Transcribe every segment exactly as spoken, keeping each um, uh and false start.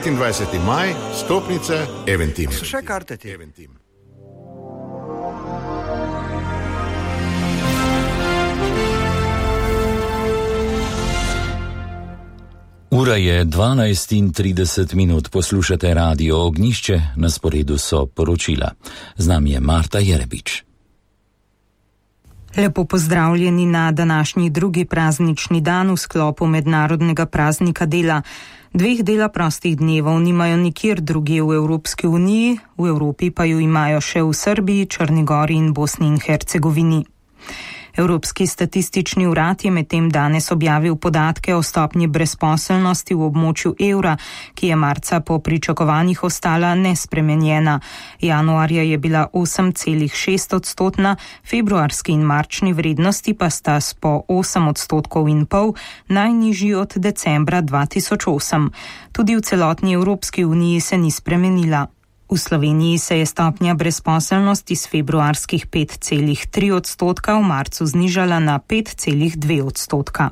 petindvajseti maj, stopnice Eventim. So še karte ti? Eventim. Ura je dvanajst in trideset minut, poslušate Radio Ognjišče, na sporedu so poročila. Z nami je Marta Jerebič. Lepo pozdravljeni na današnji drugi praznični dan v sklopu mednarodnega praznika dela. Dveh dela prostih dnevov nimajo nikjer drugje v Evropski uniji, v Evropi pa ju imajo še v Srbiji, Črni Gori in Bosni in Hercegovini. Evropski statistični urad je medtem danes objavil podatke o stopnji brezposelnosti v območju evra, ki je marca po pričakovanjih ostala nespremenjena. Januarja je bila osem celih šest odstotna, februarski in marčni vrednosti pa sta s po osem odstotkov in pol najnižji od decembra dva tisoč osem. Tudi v celotni Evropski uniji se ni spremenila. V Sloveniji se je stopnja brezposelnosti s februarskih pet celih tri odstotka v marcu znižala na pet celih dve odstotka.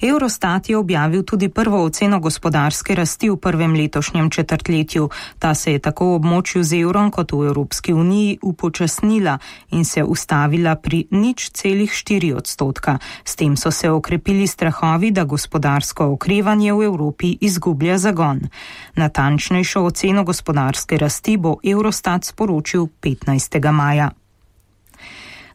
Eurostat je objavil tudi prvo oceno gospodarske rasti v prvem letošnjem četrtletju. Ta se je tako v območju z evrom kot v Evropski uniji upočasnila in se ustavila pri nič celih štiri odstotka. S tem so se okrepili strahovi, da gospodarsko okrevanje v Evropi izgublja zagon. Natančnejšo oceno gospodarske rasti bo Eurostat sporočil petnajstega maja.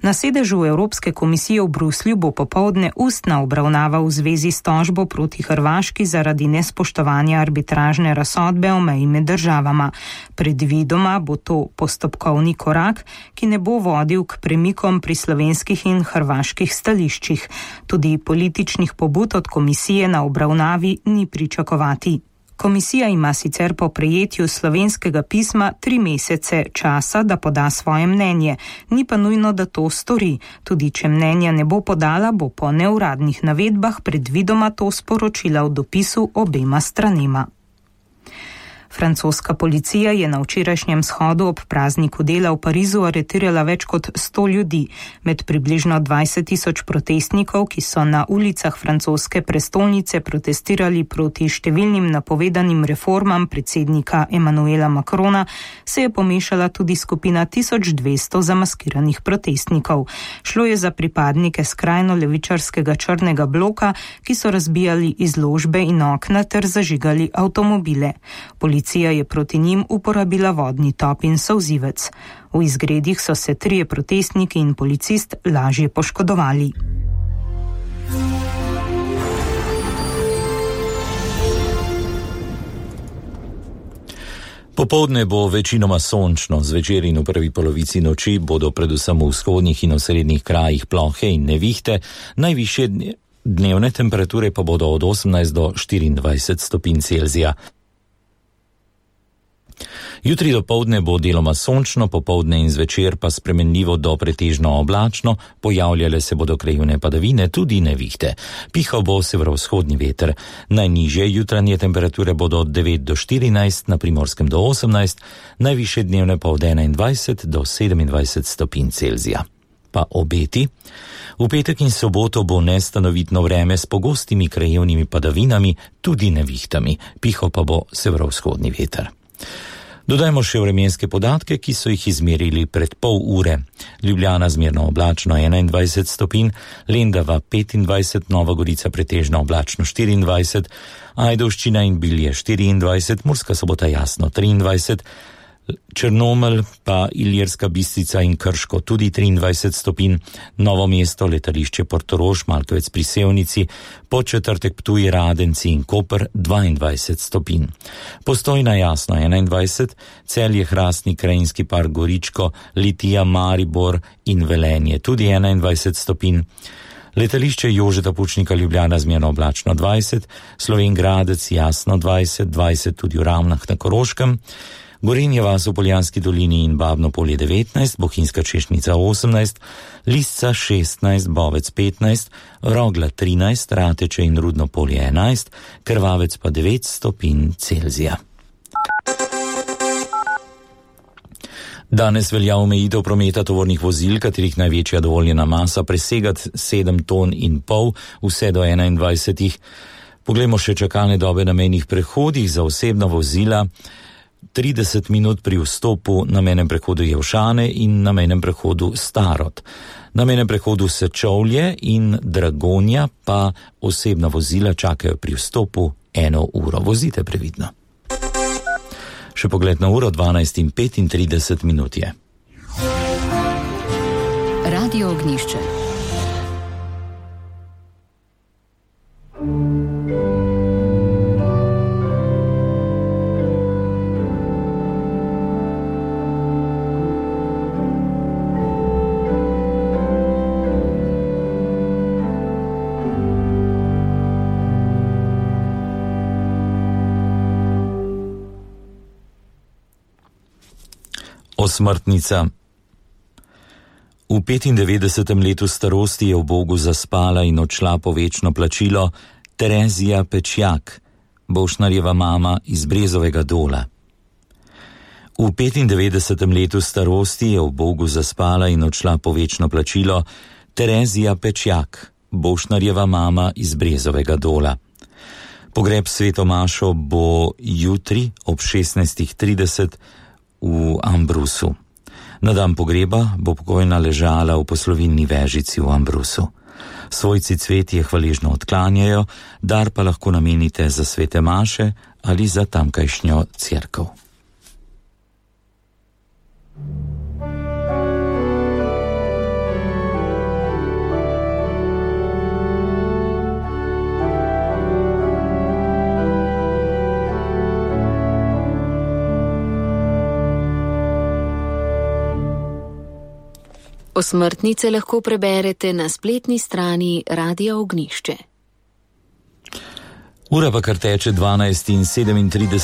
Na sedežu Evropske komisije v Bruslju bo popoldne ustna obravnava v zvezi s tožbo proti Hrvaški zaradi nespoštovanja arbitražne razsodbe o meji med državama. Predvidoma bo to postopkovni korak, ki ne bo vodil k premikom pri slovenskih in hrvaških stališčih. Tudi političnih pobud od komisije na obravnavi ni pričakovati. Komisija ima sicer po prejetju slovenskega pisma tri mesece časa, da poda svoje mnenje, ni pa nujno, da to stori. Tudi če mnenja ne bo podala, bo po neuradnih navedbah predvidoma to sporočila v dopisu obema stranema. Francoska policija je na včerajšnjem shodu ob prazniku dela v Parizu aretirala več kot sto ljudi. Med približno dvajset tisoč protestnikov, ki so na ulicah francoske prestolnice protestirali proti številnim napovedanim reformam predsednika Emmanuela Macrona, se je pomešala tudi skupina tisoč dvesto zamaskiranih protestnikov. Šlo je za pripadnike skrajno levičarskega črnega bloka, ki so razbijali izložbe in okna ter zažigali avtomobile. Policija je proti njim uporabila vodni top in solzivec. V izgredih so se trije protestniki in policist lažje poškodovali. Popoldne bo večinoma sončno, zvečer in v prvi polovici noči bodo predvsem v vzhodnih in osrednjih krajih plohe in nevihte, najvišje dnevne temperature pa bodo od osemnajst do štiriindvajset stopinj Celzija. Jutri dopoldne bo deloma sončno, popoldne in zvečer pa spremenljivo do pretežno oblačno, pojavljale se bodo krajevne padavine, tudi nevihte. Pihal bo severovzhodni veter. Najnižje jutranje temperature bodo od devet do štirinajst, na Primorskem do osemnajst, najvišje dnevne pa od enaindvajset do sedemindvajset stopinj Celzija. Pa obeti. V petek in soboto bo nestanovitno vreme s pogostimi krajevnimi padavinami, tudi nevihtami. Pihal pa bo severovzhodni veter. Dodajmo še vremenske podatke, ki so jih izmerili pred pol ure. Ljubljana zmerno oblačno enaindvajset stopinj, Lendava petindvajset, Nova Gorica pretežno oblačno štiriindvajset, Ajdovščina in Bilje štiriindvajset, Murska Sobota jasno triindvajset, Črnomelj pa Ilirska Bistrica in Krško tudi triindvajset stopinj, Novo mesto, letališče Portorož, Malkovec pri Sevnici, Podčetrtek Ptuj, Radenci in Koper dvaindvajset stopinj. Postojna jasno enaindvajset, Celje, Hrastnik, Krajinski park Goričko, Litija, Maribor in Velenje tudi enaindvajset stopinj. Letališče Jožeta Pučnika Ljubljana zmerno oblačno dvajset, Slovenj Gradec jasno dvajset, dvajset tudi v Ravnah na Koroškem, Gorenje vas v Poljanski dolini in Babno polje devetnajst, Bohinjska Češnica osemnajst, Lisca šestnajst, Bovec petnajst, Rogla trinajst, Rateče in Rudno polje enajst, Krvavec pa devet stopinj Celzija. Danes velja omejitev prometa tovornih vozil, katerih največja dovoljena masa presega sedem ton in pol, vse do enaindvajsetih. Poglejmo še čakalne dobe na mejnih prehodih za osebna vozila. trideset minut pri vstopu na mejnem prehodu Jelšane in na mejnem prehodu Starod. Na mejnem prehodu Sečovlje in Dragonja pa osebna vozila čakajo pri vstopu eno uro. Vozite previdno. Še pogled na uro, dvanajst in petintrideset minut je. Radio Ognjišče. Osmrtnica. V petindevetdesetem letu starosti je v Bogu zaspala in odšla po večno plačilo Terezija Pečjak, Bošnarjeva mama iz Brezovega Dola. V petindevetdesetem letu starosti je v Bogu zaspala in odšla po večno plačilo Terezija Pečjak, Bošnarjeva mama iz Brezovega Dola. Pogreb sveto mašo bo jutri ob šestnajstih trideset v Ambrusu. Na dan pogreba bo pokojna ležala v poslovilni vežici v Ambrusu. Svojci cvetje hvaležno odklanjajo, dar pa lahko namenite za svete maše ali za tamkajšnjo cerkev. Osmrtnice lahko preberete na spletni strani Radia Ognjišče. Ura pa kar teče dvanajst in sedemintrideset